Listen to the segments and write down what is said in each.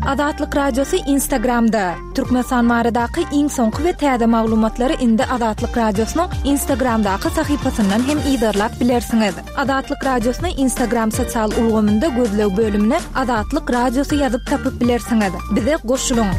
Azatlyk Radiosy Instagramda, Türkmenistan baradaky iň soňky we täze maglumatlary indi Azatlyk Radiosynyň Instagramdaky sahypasyndan hem yzarlap bilersiňiz. Azatlyk Radiosyny Instagram sosial ulgamynda gözleg bölümine Azatlyk Radiosy ýazyp tapyp bilersiňiz. Bize goşulyň!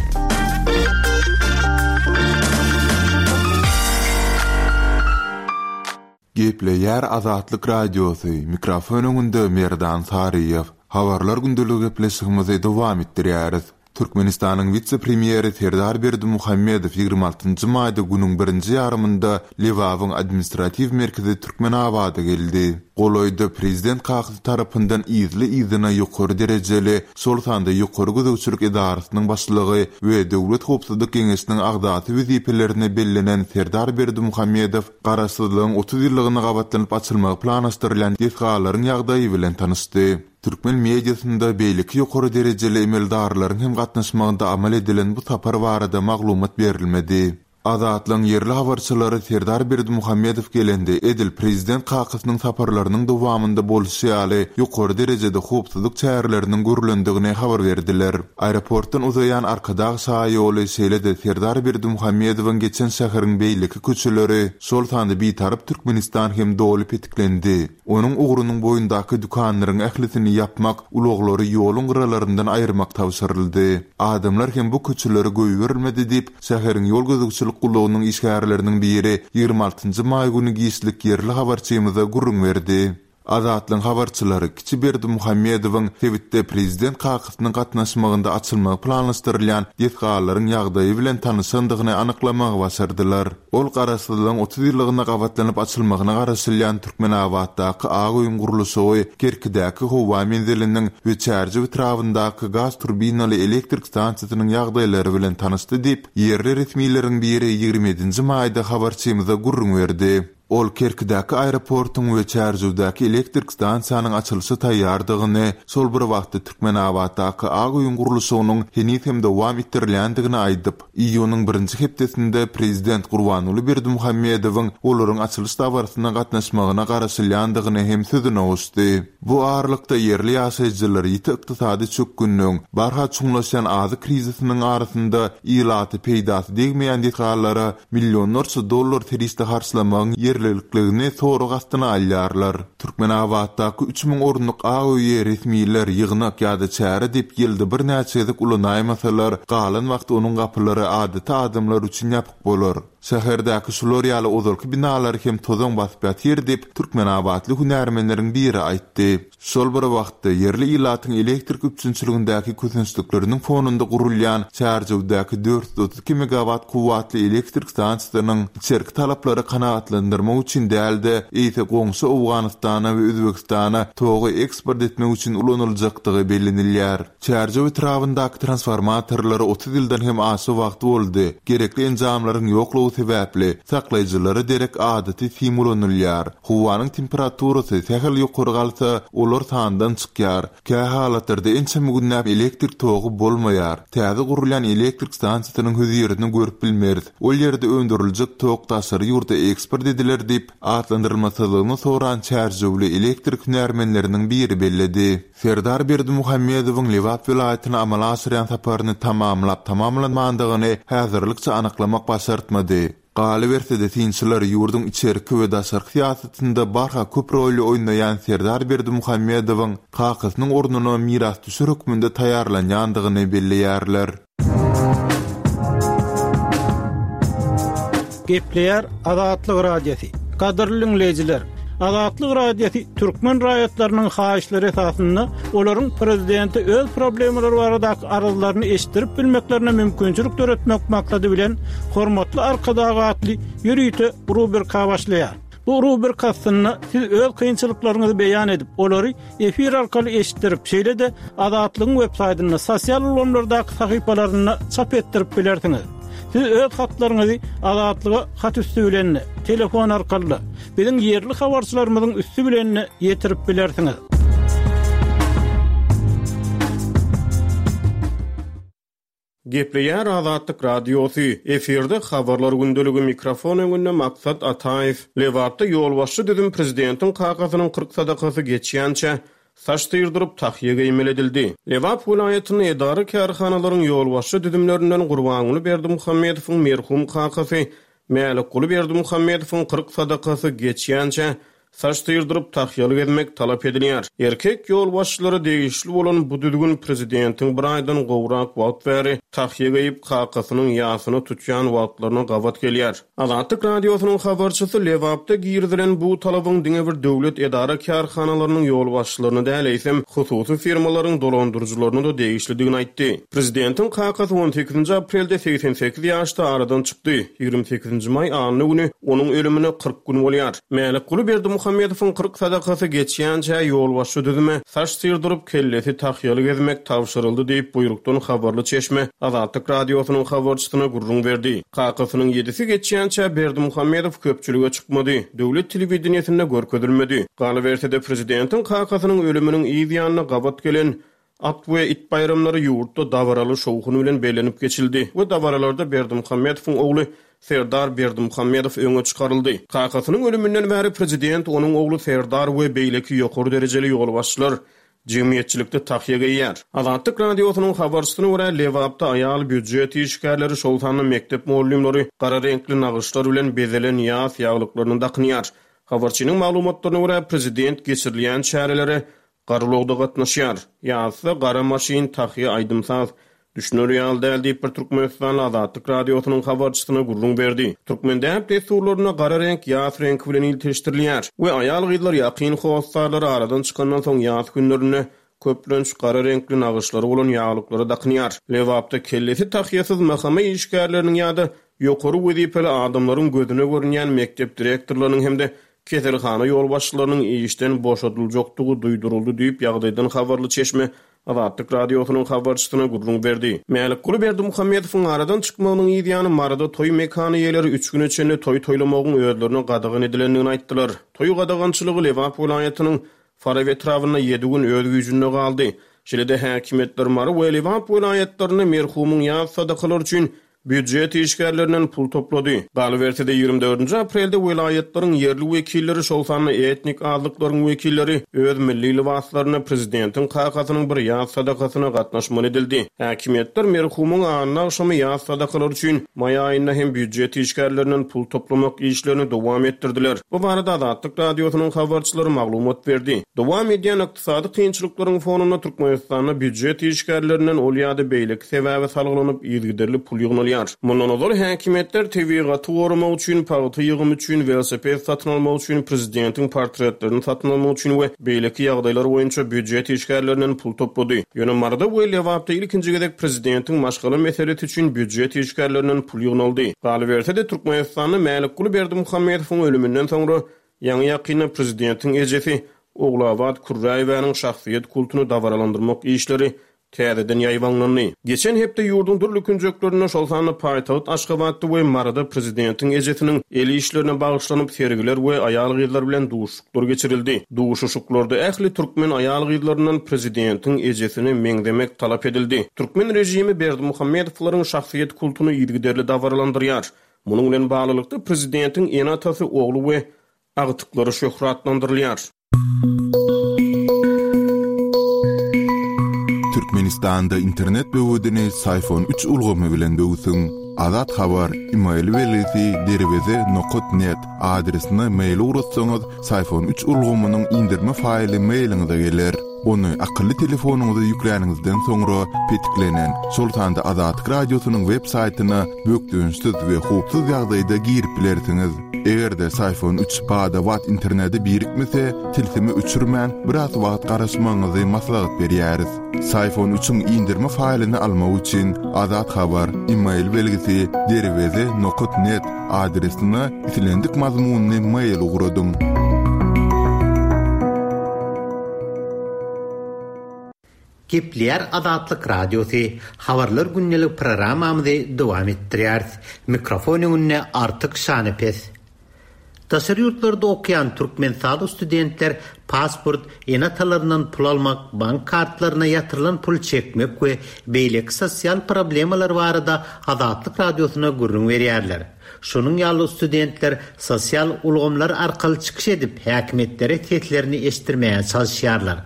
Gepleýär Azatlyk Radiosy, mikrofon öňünde Merdan Saryýew. Habarlar gündeligi gepleşigimizi dowam etdirýäris. Türkmenistanyň wise-premýeri Serdar Berdimuhamedow 26 maýda günüň birinji ýarymynda Lebabyň administratiw merkezi Türkmenabada geldi. Golaýda prezident kakasy tarapyndan yzly-yzyna ýokary derejeli, şol sanda Ýokary gözegçilik edarasynyň başlygy we Döwlet howpsuzlyk geňeşiniň agzasy wezipelerine bellenen Serdar Berdimuhamedow Garaşsyzlygyň 30 ýyllygyna gabatlanyp açylmagy planlaşdyrylýan desgalaryň ýagdaýy bilen tanyşdy. Türkmen mediasynda beýleki ýokary derejeli emeldarlaryň hem gatnaşmagynda amal edilen bu sapar barada maglumat berilmedi. Azatlygyň ýerli habarçylary Serdar Berdimuhamedow gelende edil prezident kakasynyň saparlarynyň dowamynda bolşy ýaly ýokary derejede howpsuzlyk çäreleriniň görlendigini habar berdiler. Aeroportdan uzaýan Arkadag şaýoly, şeýle-de Serdar Berdimuhamedowyň geçen şäheriň beýleki köçeleri, şol sanda Bitarap Türkmenistan hem doly petiklendi. Onuň ugrunyň boýundaky dükanlaryň ählisini ýapmak, ulaglary ýoluň gyralaryndan aýyrmak tabşyryldy. Adamlar hem bu köçelere goýberilmedi diýip, şäheriň ýol gözegçilik gullugynyň işgärleriniň biri 26 maý güni giçlik ýerli habarçymyza gürrüň berdi. Azatlygyň habarçylary kiçi Berdimuhamedowyň sebitde prezident kakasynyň gatnaşmagynda açylmagy planlaşdyrylýan desgalaryň ýagdaýy bilen tanyşandygyny anyklamagy başardylar. Ol Garaşsyzlygyň 30 ýyllygyna gabatlanyp açylmagyna garaşylýan Türkmenabatdaky Ak öýüň gurluşygy, Kerkidäki howa menziliniň we Çärjew etrabyndaky gaz turbinaly elektrik stansiýasynyň ýagdaýlary bilen tanyşdy diýip, ýerli resmileriň biri 27 nji maýda habarçymyza gürrüň berdi. Ol Kerkidäki aeroportuň we Çärjewdäki elektrik stansiýanyň açylyşa taýýardygyny, şol bir wagtda Türkmenabatdaky Ak öýüň gurluşygynyň heniz hem dowam etdirilýändigini aýdyp, iýunyň birinji hepdesinde prezident Gurbanguly Berdimuhamedowyň olaryň açylyş dabarasyna gatnaşmagyna garaşylýandygyny hem sözüne goşdy. Bu aralykda, ýerli ýaşaýjylar ýiti ykdysady çökgünligiň, barha çuňlaşýan azyk krizisiniň arasynda ilaty peýdasy degmeýän desgalara millionlarça dollar serişde harçlamagyň ýerlilikligini sorag astyna alýarlar. Türkmenabatdaky 3000 orunlyk Ak öýi resmiler ýygnak ýa-da çäre diýip ýylda birnäçe gezek ulanaýmasalar, galan wagty onuň gapylary adaty adamlar üçin ýapyk bolar. Şäherdäki şular ýaly ozalky binalary hem tozan basyp ýatyr diýip, türkmenabatly hünärmenleriň biri aýtdy. Şol bir wagtda, ýerli ilatyň elektrik üpjünçiligindäki kösençlikleriniň fonunda gurulýan Çärjewdäki 432 megawat kuwwatly elektrik stansiýasynyň içerki talaplary kanagatlandyrmak üçin däl-de, eýse goňşy Owganystana we Özbegistana togy eksport etmek üçin ulanyljakdygy bellenilýär. Çärjew etrabyndaky transformatorlara 30 ýyldan hem aşa wagt boldy. Gerekli enjamlaryň ýoklugy sebäpli, saklaýjylara derek adaty sim ulanylýar. Howanyň temperaturasy sähel ýokary galsa, olar sandan çykýar. Kähalatlarda ençeme günläp elektrik togy bolmaýar. Täze gurulýan elektrik stansiýasynyň hözirini görüp bilmeris. Ol ýerde öndüriljek tok daşary ýurda eksport ediler diýip, atlandyrylmasyzlygyny soran çärjewli elektrik hünärmenleriniň biri belledi. Serdar Berdimuhamedowyň Lebap welaýatyna amala aşyrýan saparyny tamamlap-tamamlanmandygyny häzirlikçe anyklamak başartmady. Galyberse-de, synçylar ýurduň içerki we daşarky syýasatynda barha köp roly oýnaýan Serdar Berdimuhamedowyň kakasynyň ornuna mirasdüşer hökmünde taýýarlanýandygyny belleýärler. Gepleýär Azatlyk Radiosy. Gadyrly diňleýjiler, Azatlyk Radiosy türkmen raýatlarynyň haýyşlary esasynda olaryň prezidente öz problemalary baradaky arzlaryny eşitdirip bilmeklerine mümkinçilik döretmek maksady bilen Hormatly Arkadag atly ýörite rubrika başlaýar. Bu rubrika astynda siz öz kynçylyklaryňyzy beýan edip, olary efir arkaly eşitdirip, şeýle-de Azatlygyň web-saýtynda, sosial ulgamlardaky sahypalarynda çap etdirip bilersiňiz. Siz öz hatlaryňyzy Azatlyga hat üsti bilen-de, telefon arkaly-da, biziň ýerli habarçylarymyzyň üsti bilen-de ýetirip bilersiňiz. Gepleýär Azatlyk Radiosy, efirde Habarlar gündeligi, mikrofon öňünde Maksat Ataýew. Lebapda ýolbaşçy düzüm prezidentiň kakasynyň 40 sadakasy geçýänçä, Saç syrdyryp, tahýa geýmeli edildi. Lebap welaýatynda edara-kärhanalaryň ýolbaşçy düzümlerinden Gurbanguly Berdimuhamedowyň merhum kakasy Mälikguly Berdimuhamedowyň 40 sadakasy geçýänçä saç syrdyryp, tahýaly gezmek talap edilýär. Erkek ýolbaşçylara degişli bolan bu düzgün prezidentiň bir aýdan gowrak wagt bäri tahýa geýip, kakasynyň ýasyny tutýan wagtlaryna gabat gelýär. Azatlyk Radiosynyň habarçysy Lebapda girizilen bu talabyň diňe bir döwlet edara-kärhanalarynyň ýolbaşçylaryna däl, eýsem, hususy firmalaryň dolandyryjylaryna-da degişlidigini aýtdy. Prezidentiň kakasy on sekizinji aprelde 88 ýaşda aradan çykdy. Ýigrimi sekizinji maý anna güni onuň ölümine 40 gün bolýar. Mälikguly Berdimuhamedowyň 40 sadakasy geçýänçä ýolbaşçy düzüme saç syrdyryp, kellesi tahýaly gezmek tabşyryldy diýip, buýrukdan habarly çeşme Azatlyk Radiosynyň habarçysyna gürrüň berdi. Kakasynyň ýedisi geçýänçä Berdimuhamedow köpçülige çykmady, döwlet telewideniýesinde görkezilmedi. Galyberse-de, prezidentiň kakasynyň ölüminiň yz ýanyna gabat gelen At we it baýramlary ýurtda dabaraly şowhun bilen bellenip geçildi we dabaralarda Berdimuhamedowyň ogly Serdar Berdimuhamedow öňe çykaryldy. Kakasynyň ölüminden bäri prezident, onuň ogly Serdar we beýleki ýokary derejeli ýolbaşçylar Jemgyýetçilikde tahýa geýýär. Azatlyk Radiosynyň habarçysyna görä, Lebapda aýal býujet işgärleri, şol sanda mekdep mugallymlary gara reňkli nagyşlar bilen bezelen ýas ýaglyklaryny dakynýar. Habarçynyň maglumatlaryna görä, prezident geçirilýän çärelere gara ulagda gatnaşýar. Ýasda gara maşyn, tahýa, aýdym-saz. Düşüner ýaly däl diýip, bir türkmenistanly Azatlyk Radiosynyň habarçysyna gürrüň berdi. Türkmen däp-dessurlarynda gara reňk ýas reňki bilen ilteşdirilýär we aýal-gyzlar ýakyn hossarlary aradan çykandan soň ýas günlerinde köplenç gara reňkli nagyşlary bolan ýaglyklary dakynýar. Lebapda kellesi tahýasyz MHM işgärleriniň ýa-da ýokary wezipeli adamlaryň gözüne görünýän mekdep direktorlarynyň hem-de keselhana ýolbaşçylarynyň işden boşadyljakdygy duýduryldy diýip, ýagdaýdan habarly çeşme Azatlyk Radiosynyň habarçysyna gürrüň berdi. Mälikguly Berdimuhamedowyň aradan çykmagynyň yz ýany Maryda toý mekany eýeleri üç güne çenli toý toýlamagyň özlerine gadagan edilendigini aýtdylar. Toý gadagançylygy Lebap welaýatynyň Farap etrabynda ýedi gün öz güýjünde galdy. Şeýle-de häkimiýetler Mary we Lebap welaýatlarynda merhumyň ýas sadakalary üçin Býujet işgärlerinden pul toplady. Galyberse-de, ýigrimi dördünji aprelde welaýatlaryň ýerli wekilleri, şol sanda etnik azlyklaryň wekilleri öz milli lybaslarynda prezidentiň kakasynyň bir ýas sadakasyna gatnaşmaly edildi. Häkimiýetler merhumyň anna agşamy ýas sadakalary üçin maý aýynda hem býujet işgärlerinden pul toplamak işlerini dowam etdirdiler. Bu barada Azatlyk Radiosynyň habarçylary maglumat berdi. Dowam edýän Ykdysady kynçylyklaryň fonunda Türkmenistanda býujet işgärlerinden ol ýa-da beýleki sebäbe salgylanyp yzygiderli pul ýygnalýar. Mundan ozal häkimiýetler tebigaty goramak üçin, pagta ýygymy üçin, welosiped satyn almak üçin, prezidentiň portretlerini satyn almak üçin we beýleki ýagdaýlar boýunça býujet işgärlerinden pul toplady. Ýöne Maryda we Lebapda ilkinji gezek prezidentiň maşgala meselesi üçin býujet işgärlerinden pul ýygnaldy. Galyberse-de, Türkmenistanda Mälikguly Berdimuhamedowyň ölüminden soňra Ýaňy-ýakynda prezidentiň ejesi Ogulabat Kürräýewanyň şahsyýet kultuny dabaralandyrmak işleri täzeden ýaýbaňlandy. Geçen hepde ýurduň dürli künjeklerinde, şol sanda paýtagt Aşgabatda we Maryda prezidentiň ejesiniň el işlerine bagyşlanyp sergiler we aýal-gyzlar bilen duşuşyklar geçirildi. Duşuşyklarda ähli türkmen aýal-gyzlaryndan prezidentiň ejesine meňzemek talap edildi. Türkmen režimi Berdimuhamedowlaryň şahsyýet kultuny yzygiderli dabaralandyrýar. Munuň bilen baglylykda, prezidentiň ene-atasy, ogly we agtyklary şöhratlandyrylýar. Türkmenistanda internet böwedini Syfon üç ulgamy bilen böwsüň. Azat Habar, email belgisi derweze nokat net adresine mail ugratsaňyz, Syfon üç ulgamynyň indirme faýly mailiňize geler. Ony akylly telefonyňyza ýükläniňizden soňra petiklenen, şol sanda Azatlyk Radiosynyň web saýtyna bökdençsiz we howpsuz ýagdaýda girip bilersiňiz. Eger-de Syfon üç bada-bat internete birikmese, tilsimi öçürmän, biraz wagt garaşmagyňyzy maslahat berýäris. Syfon üçiň indirme faýlyny almak üçin Azat Habar, email belgisi derweze nokat net adresine islendik mazmunly mail ugradyň. Gepleýär Azatlyk Radiosy, Habarlar gündelik programmamyzy dowam etdirýäris. Mikrofon öňünde Artyk Şanepes. Daşary ýurtlarda okaýan türkmenistanly studentler pasport, ene-atalaryndan pul almak, bank kartlaryna ýatyrylan pul çekmek we beýleki sosial problemalar barada Azatlyk Radiosyna gürrüň berýärler. Şonuň ýaly studentler sosial ulgamlar arkaly çykyş edip, häkimiýetlere seslerini eşitdirmäge çalyşýarlar.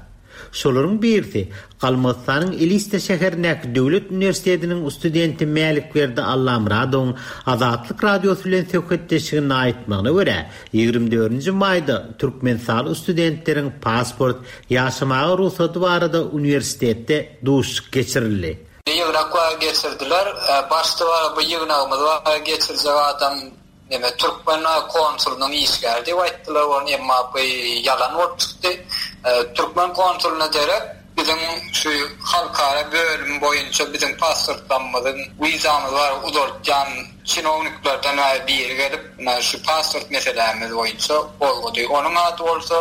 Şolaryň birisi, Galmygystanyň Elista şäherindäki döwlet uniwersitetiniň studenti Mälikberdi Allamyradowyň Azatlyk Radiosy bilen söhbetdeşliginde aýtmagyna görä, 24-nji maýda türkmenistanly studentleriň pasport, ýaşamaga rugsady barada uniwersitetde duşuşyk geçirildi. Ýygnak bar geçirdiler. Başda bar bu ýygnagymyz bar geçirjek adam Neme türkmen konsulynyň işgäri diýip aýtdylar ony emma bu ýalan bolup çykdy. Türkmen konsulyna derek biziň şu halkara bölümi boýunça biziň pasportlarymyzyň wizamyz bar uzaltýan çinowniklerden biri gelip şu pasport meselämiz boýunça gozgady. Onuň ady bolsa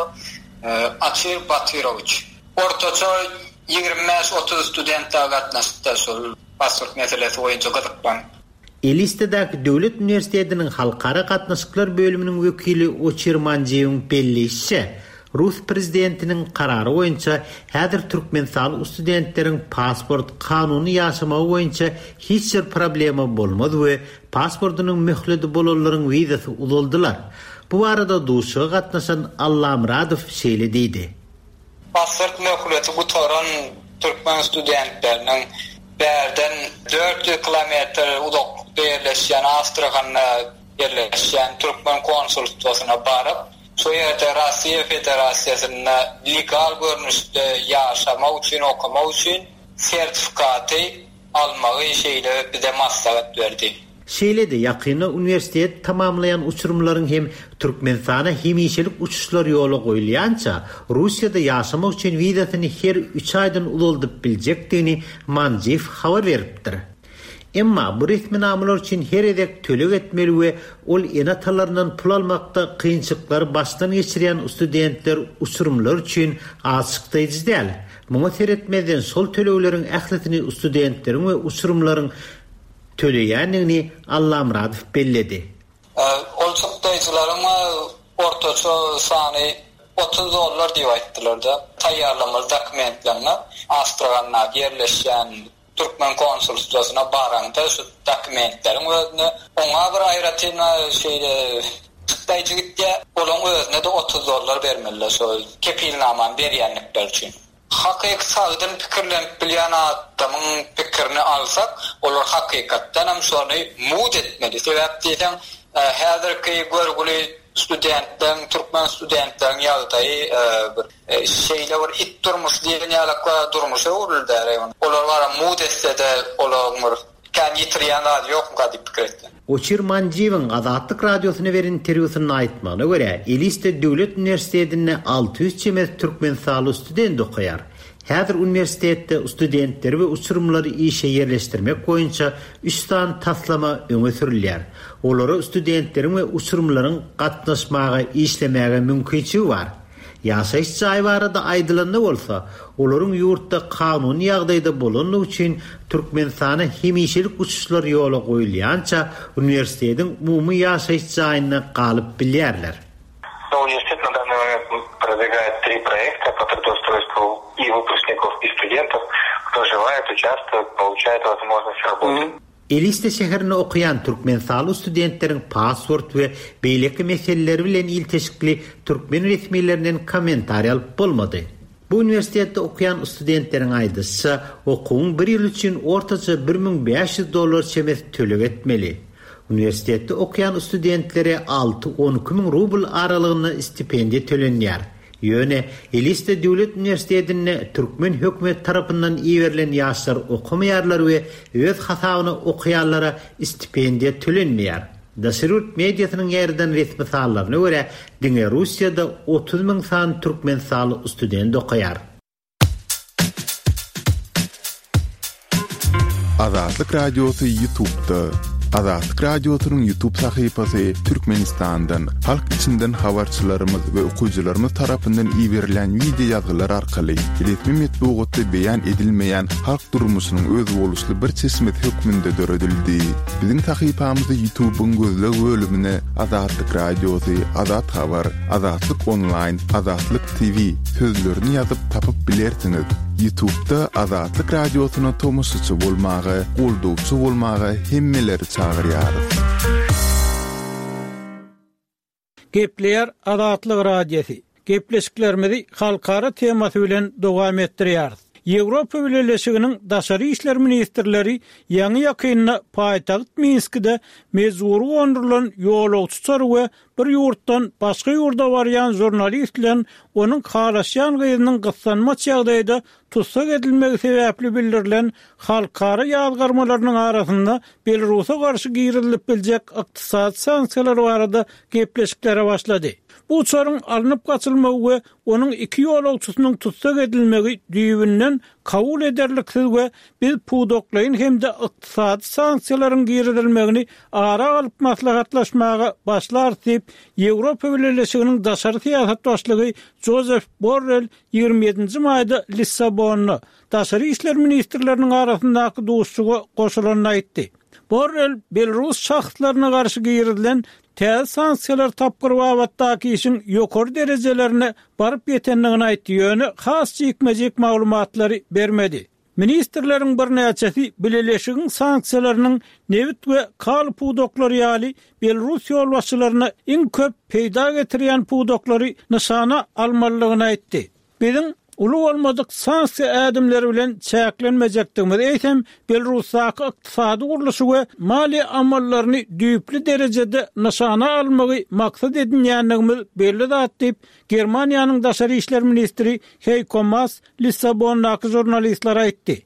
Açir Batyrowiç. Ortaça 25-30 student dagy gatnaşypdyr şol pasport meselesi boýunça gyzyklanyp. Elistadäki döwlet uniwersitetiniň halkara gatnaşyklar bölüminiň wekili Oçir Manjiýewiň belleýşiçe, rus prezidentiniň karary boýunça häzir türkmenistanly studentleriň pasport, kanuny ýaşamagy boýunça hiç bir problema bolmaz we pasportynyň möhledi bolanlaryň wizasy uzaldylar. Bu barada duşuşyga gatnaşan Allamyradow şeýle diýdi. Pasport möhleti gutaran türkmen studentleriniň bärden 400 kilometr uzaklykda ýerleşýän Astrahanda ýerleşýän türkmen konsulstwasyna baryp, şo ýerde Russiýa Federasiýasynda legal görnüşde ýaşamak üçin, okamak üçin sertifikaty almagy şeýle bize maslahat berdi. Şeýle-de, ýakynda uniwersitet tamamlaýan uçurymlaryň hem Türkmenistana hemişelik uçuşlar ýola goýulýança, Russiýada ýaşamak üçin wizasyny her üç aýdan uzaldyp biljekdigini Manjiýew habar beripdir. Emma bu resminamalar üçin her gezek töleg etmeli we ol ene-atalaryndan pul almakda kynçylyklary başdan geçirýän studentler, uçurymlar üçin az çykdaýjy däl. Muňa seretmezden, şol tölegleriň ählisini studentleriň we uçurymlaryň töleýändigini Allamyradow belledi. Ol çykdaýjylaryň ortaça sany 30 dollar diýip aýtdylar-da. Taýýarlamaly dokumentlerine Astrahandaky ýerleşýän türkmen konsulstwasyna baraňda şu dokumentleriň özüne oňa bir aýratyn şeýle çykdaýjy gitýär. Olaň özüne-de 30 dollar bermeliler şo kepilnamany berýänlikleri üçin. Hakyky sagdyn pikirlenip bilýän adamyň pikirini alsak, olar hakykatdanam şony mugt etmeli. Sebäp diýseň, häzirki görgüli studentleriň, türkmen studentleriň ýagdaýy bir şeýle bir it durmuşy diýen ýalak durmuşa öwrüldi. Olar bara mugt etse-de olaryň bir Kän ýitirýän zady ýokmyka diýip pikir etdim. Oçir Manjiýewiň Azatlyk Radiosyna beren interwýusynda aýtmagyna görä, Elista döwlet uniwersitetinde 600 çemesi türkmenistanly student okaýar. Häzir uniwersitetde studentleri we uçurymlary işe ýerleşdirmek boýunça üç sany taslama öňe sürülýär. Olara studentleriň we uçurymlaryň gatnaşmaga, işlemäge mümkinçigi bar. Ýaşaýyş jaýy barada aýdylanda bolsa, olaryň ýurtda kanuny ýagdaýda bolandygy üçin Türkmenistana hemişelik uçuşlar ýola goýulýança uniwersitetiň umumy ýaşaýyş jaýynda galyp bilýärler. Uniwersitet na dannyý moment prodwigaet tri proekta po trudoustroystvu i wypusknikow i studentow, kto želaet uçastwować, poluçaet wozmožnost raboty. Elista şäherinde okaýan türkmenistanly studentleriň pasport we beýleki meseleleri bilen ilteşikli türkmen resmilerinden kommentariý alyp bolmady. Bu uniwersitetde okaýan studentleriň aýdyşyça, okuwyň bir ýyly üçin ortaça 1500 dollar çemesi töleg etmeli. Uniwersitetde okaýan studentlere alty-on iki müň rubl aralygynda stipendiýa tölenýär. Ýöne, Elista döwlet uniwersitetinde türkmen hökümeti tarapyndan iberilen ýaşlar okamaýarlar we öz hasabyna okaýanlara stipendiýa tölenmeýär. Daşary ýurt mediasynyň ýaýradan resmi sanlaryna görä, diňe Russiýada 30 müň sany türkmenistanly student okaýar. Azatlyk Radiosy Ýutubda. Azatlyk Radiosynyň Ýutub sahypasy Türkmenistandan, halk içinden habarçylarymyz we okyjylarymyz tarapyndan iberilen wideo ýazgylar arkaly resmi metbugatda beýan edilmeýän halk durmuşynyň özboluşly bir çeşmesi hökmünde döredildi. Biziň sahypamyzy Ýutubyň gözleg bölümine Azatlyk Radiosy, Azat Habar, Azatlyk Onlaýn, Azatlyk TV sözlerini ýazyp tapyp bilersiňiz. Ýutubda Azatlyk Radiosyna tomaşaçy bolmaga, goldawçy bolmaga hemmeleri çagyrýarys. Gepleýär Azatlyk Radiosy. Gepleşiklerimizi halkara temasy bilen dowam etdirýäris. Ýewropa Bileleşiginiň daşary işler ministrleri ýaňy-ýakynda paýtagt Minskide mejbury gondurylan ýolagçy uçary we bir ýurtdan başga ýurda barýan žurnalist bilen onuň halaşýan gyzynyň gyssanmaç ýagdaýda tussag edilmegi sebäpli bildirilen halkara ýazgarmalarynyň arasynda Belarusa garşy girizilip biljek ykdysady sanksiýalar barada gepleşiklere başlady. Bu uçaryň alnyp gaçylmagy we onuň iki ýolagçysynyň tussag edilmegi düýbünden kabul ederliksiz we biz pudaklaýyn hem-de ykdysady sanksiýalaryň girizilmegini ara alyp maslahatlaşmaga başlarys diýip, Ýewropa Bileleşiginiň daşary syýasat başlygy Jozef Borrel 27-nji maýda Lissabonda daşary işler ministrleriniň arasyndaky duşuşyga goşulanda aýtdy. Borrel belarus şahslaryna garşy girizilen täze sanksiýalar tapgyry babatdaky işiň ýokary derejelerine baryp ýetendigini aýtdy, ýöne has jikme-jik maglumatlary bermedi. Ministrleriň birnäçesi bileleşigiň sanksiýalarynyň nebit we kaliý pudaklary ýaly belarus ýolbaşçylaryna iň köp peýda getirýän pudaklary nyşana almalydygyny aýtdy. Biziň uly bolmadyk sanksiýa ädimleri bilen çäklenmejekdigimiz, eýsem, Belarusdaky ykdysady gurluşy we maliýe amallaryny düýpli derejede nyşana almagy maksat edinýändigimiz belli zat diýip, Germaniýanyň daşary işler ministri Heýko Maas Lissabondaky žurnalistlere aýtdy.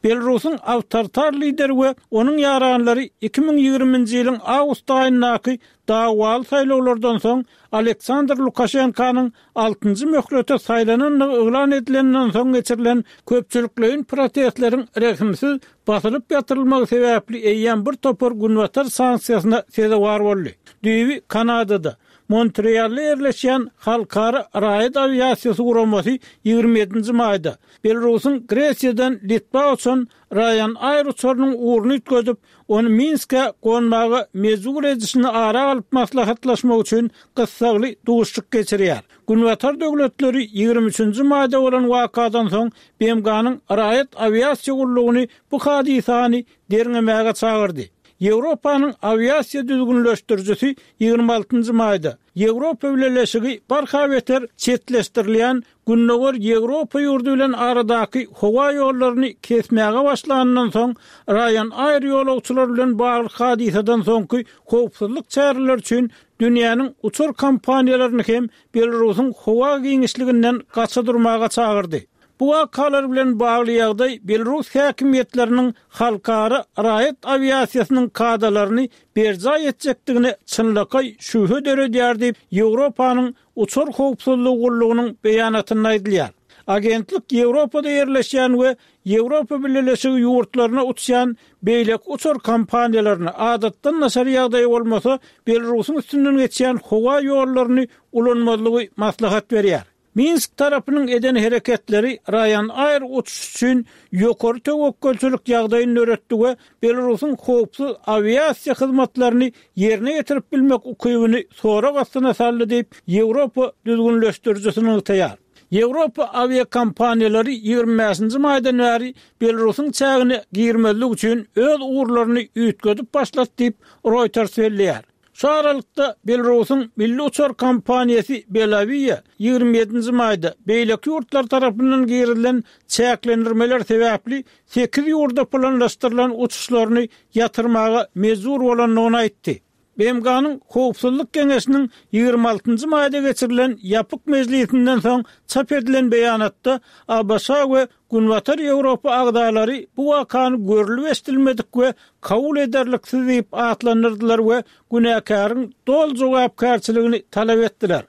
Belarusyň awtoritar lideri we onuň ýaranlary 2020-nji ýylyň awgust aýyndaky dawaly saýlawlardan soň Aleksandr Lukaşenkanyň altynjy möhlete saýlanandygy yglan edilenden soň geçirilen köpçülikleýin protestleriň rehimsiz basylyp ýatyrylmagy sebäpli eýýäm bir topar günbatar sanksiýasyna sezewar boldy. Düýbi Kanadada, Montrealda ýerleşýän Halkara raýat awiasiýasy guramasy 27-nji maýda Belarusyň Gresiýadan Litwa uçan Ryanair uçarynyň ugruny üýtgedip, ony Minskä gonmaga mejbur edişini ara alyp maslahatlaşmak üçin gyssagly duşuşyk geçirýär. Günbatar döwletleri 23-nji maýda bolan wakadan soň BMG-niň Raýat awiasiýa gullugyny bu hadysany derňemäge çagyrdy. Ýewropanyň awiasiýa düzgünleşdirijisi 26-njy maýda, Ýewropa Bileleşigi barha beter çetleşdirilýän Gündogar Ýewropa ýurdy bilen aradaky howa ýollaryny kesmäge başlanyndan soň, Ryanair ýolagçylar bilen bagly hadysadan soňky howpsuzlyk çäreleri üçin dünýäniň uçar kompaniýalaryny hem Belarusyň howa giňişliginden gaça durmaga çagyrdy. Bu wakalar bilen bagly ýagdaý belarus häkimiýetleriniň halkara raýat awiasiýasynyň kadalaryny berjaý etjekdigine çynlakaý şübhe döredýär diýip, Ýewropanyň Uçar howpsuzlygy gullugynyň beýanatynda aýdylýar. Agentlik Ýewropada ýerleşýän we Ýewropa Bileleşigi ýurtlaryna uçýan beýleki uçar kompaniýalaryna, adatdan daşary ýagdaý bolmasa, Belarusyň üstünden geçýän howa ýollaryny ulanmazlygy maslahat berýär. Minsk tarapynyň eden hereketleri Ryanair uçuşy üçin ýokary töwekgelçilik ýagdaýyny döretdi we Belarusyň howpsuz awiasiýa hyzmatlaryny ýerine ýetirip bilmek ukybyny sorag astyna saldy diýip, Ýewropa düzgünleşdirijisi nygtaýar. Ýewropa awiakompaniýalary 25-nji maýdan bäri Belarusyň çägine girmezlik üçin öz ugurlaryny üýtgedip başlady diýip, Reuters belleýär. Şu aralykda, Belarusyň milli uçar kompaniýasy Belavia 27-nji maýda beýleki ýurtlar tarapyndan girizilen çäklendirmeler sebäpli sekiz ýurda planlaşdyrylan uçuşlaryny ýatyrmaga mejbur bolandygyny aýtdy. BMG-niň Howpsuzlyk Geňeşiniň 26-njy maýda geçirilen ýapyk mejlisinden soň çap edilen beýanatda ABŞ we Günbatar Ýewropa agzalary bu wakany görlüp-eşidilmedik we kabul ederliksiz diýip atlandyrdylar we günäkäriň doly jogapkärçiligini talap etdiler.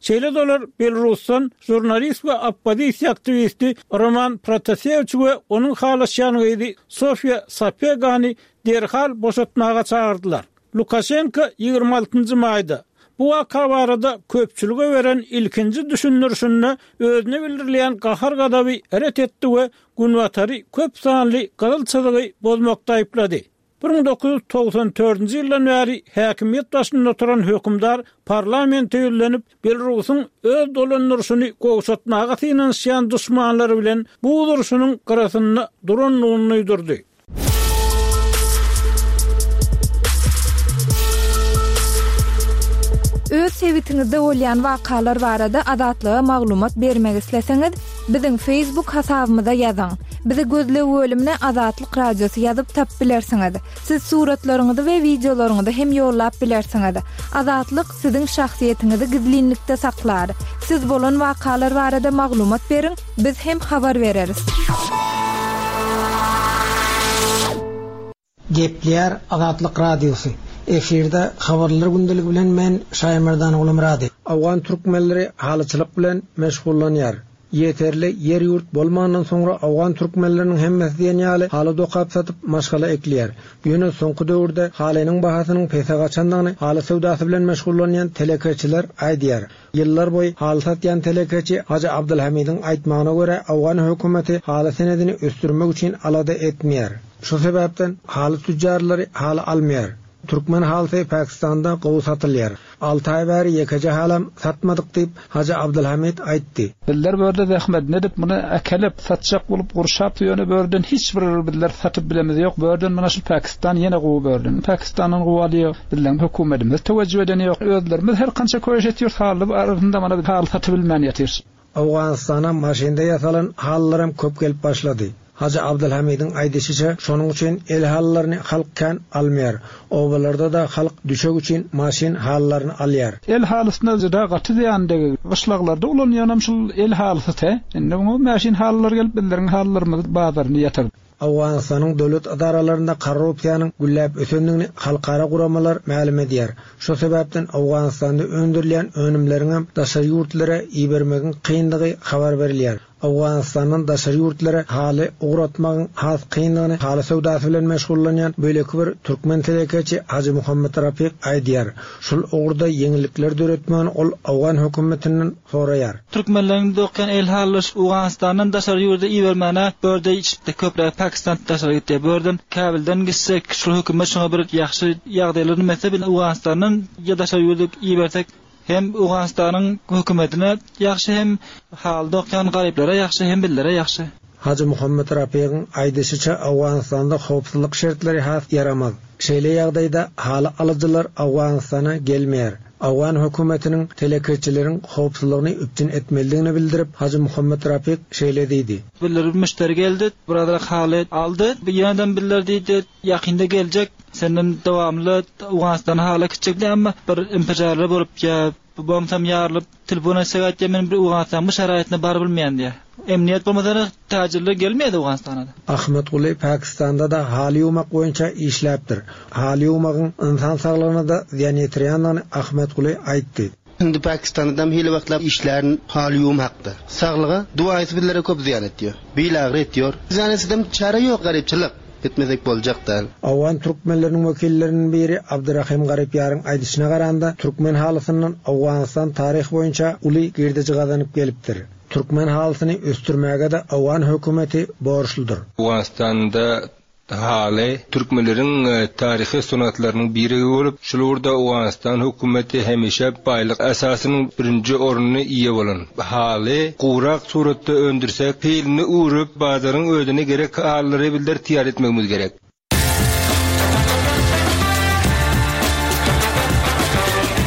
Şeýle-de olar Belarusdan žurnalist we oppozisiýa aktiwisti Roman Protasewiçi we onuň halaşýan gyzy Sofiýa Sapegany derhal boşatmaga çagyrdylar. Lukaşenko 26 njy maýda bu waka barada köpçülige beren ilkinji düşündirişinde özüne bildirilýän gahar-gazaby ret etdi we Günbatary köp sanly gyzyl çyzygy bozmakda aýyplady. 1994-nji ýyldan bäri häkimiýet başynda oturan hökümdar parlamente ýüzlenip, Belarusyň öz dolandyryşyny gowşatmaga synanyşýan duşmanlary bilen buz urşunyň gyrasynda durandygyny duýdurdy. Öz sebitiňizde bolýan wakalar barada Azatlyga maglumat bermek isleseňiz, biziň Facebook hasabymyza ýazyň. Bizi gözleg bölümine Azatlyk Radiosy ýazyp tapyp bilersiňiz. Siz suratlaryňyzy we wideolaryňyzy hem ýollap bilersiňiz. Azatlyk siziň şahsyýetiňizi gizlinlikde saklar. Siz bolan wakalar barada maglumat beriň, biz hem habar bereris. Gepleýär Azatlyk Radiosy. Efirde Habarlar gündeligi bilen men Şaýmerdan Gulumyrady. Owgan türkmenleri halyçylyk bilen meşgullanýar. Ýeterli ýer-ýurt bolmandan soňra owgan türkmenleriniň hemmesi diýen ýaly haly dokap satyp maşgala ekleýär. Ýöne soňky döwürde halynyň bahasynyň pese gaçandygyny haly söwdasy bilen meşgullanýan telekeçiler aýdýar. Ýyllar boýy haly satýan telekeçi Hajy Abdylhamidiň aýtmagyna görä, owgan hökümeti haly senedini ösdürmek üçin alada etmeýär. Şu sebäpden haly tüjjarlary haly almaýar. Türkmen halysy Pakistanda gowy satylýar. Alty aý bäri ýekeje halam satmadyk diýip, Hajy Abdylhamid aýtdy. Bizler bu ýerde zähmedini edip, muny äkelip, satjak bolup gurşap, ýöne bu ýerden hiç bir bizler satyp bilemiz ýok. Bu ýerden mana şu Pakistan ýene gowy bu ýerden. Pakistandan gowy alýar. Bizleň höküwmedimiz töwejjüh edeni ýok. Özlerimiz her kança köýüş etýäris, haly arasynda mana biz haly satybilmän ýatyrys. Owganystana maşynda ýasalan halylaram köp gelip başlady. Hajy Abdylhamidiň aýdyşyça, şonuň üçin el halylaryny halk kän almaýar. Obalarda-da halk düşek üçin maşyn halylaryny alýar. El halysyna juda gaty zyýan degig. Gyşlaglarda ulanýanam şul el halysy te. Indi muňa mäşin halylar gelip bizleriň halylarymyzy bazaryny ýatyrdy. Owganystanyň döwlet edaralarynda korrupsiýanyň gülläp ösendigini halkara guramalar mälim edýär. Şo sebäpden Owganystanda öndürilýän önümleriňem daşary ýurtlara ibermegiň kyndygy habar berilýär. Owganystandan daşary ýurtlara haly ugratmagyň has kyndygyny haly söwdasy bilen meşgullanýan beýleki bir türkmen telekeçi Hajy Muhammet Rapyk aýdýar. Şul ugurda ýeňillikler döretmegini ol owgan hökümetinden soraýar. Türkmenleriň dokýan el halyş Owganystandan daşary ýurda ibermäne börde içipdi köpräk Pakistan daşary gitýär börden Käbilden gitsek şul hökümet şoňa bir ýagşy ýagdaýlar nime etse biz Owganystandan ýa daşary ýurda ibersek hem Owganystanyň hökümetine ýagşy hem haly dokýan garyplara ýagşy hem bizlere ýagşy. Hajy Muhammet Rapygyň aýdyşyça Owganystanda howpsuzlyk şertleri has ýaramaz. Şeýle ýagdaýda haly alyjylar Owganystana gelmeýär. Owgan hökümetiniň telekeçileriň howpsuzlygyny üpjün etmelidigini bildirip, Hajy Muhammet Rapyk şeýle diýdi. Bizlere bir müşderi geldi, birazrak haly aldy. Ýenedem bizler diýdi, ýakynda geljek, senden dowamly Owganystana hala gitjek diýdi, emma bir infijarlar bolup ýa bombsam ýarylyp, telefon etsek aýtýar, men bir Owganystanyň bu şaraýatyna barybilmeýän diýýär. Emniýet bolmasa täjirler gelmeýär Owganystana-da. Ahmetguly Pakistanda-da haly ýuwmak boýunça işläpdir. Haly ýuwmagyň ynsan saglygyna-da zyýan ýetirýändigini Ahmetguly aýtdy. Indi Pakistandam hili wagtlap işlärin haly ýuwum hakda. Saglyga duaýsy bizlere köp zyýan etýär. Bil agry etýor. Zyýan etsedem çäre ýok garypçylyk. Etmesek boljak däl. Owgan türkmenleriniň wekilleriniň biri Abdyrahym Garypýaryň aýdyşyna garanda, türkmen halysyndan Owganystan taryh boýunça uly girdeji gazanyp gelipdir. Türkmen halysyny ösdürmäge-de owgan hökümeti borçludyr. Owganystanda haly türkmenleriň taryhy sungatlarynyň birigi bolup, şul ugurda Owganystan hökümeti hemişe baýlyk esasynyň birinji ornuny eýe bolan. Haly gurak suratda öndürsek, hilini öwrüp, bazaryň özüne gerek halylary bizler taýýar etmegimiz gerek.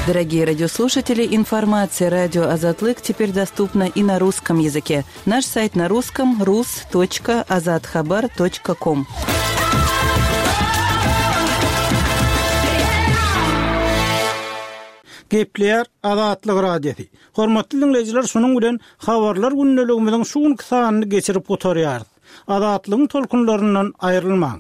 Дорогие радиослушатели, информация радио Азатлык теперь доступна и на русском языке. Наш сайт на русском rus.azathabar.com. Gepleýär Azatlyk Radiosy. Hormatly diňleýjiler, şunuň bilen Habarlar gündeligimiziň şu günki sanyny geçirip gutarýarys. Azatlygyň tolkunlaryndan aýrylmaň!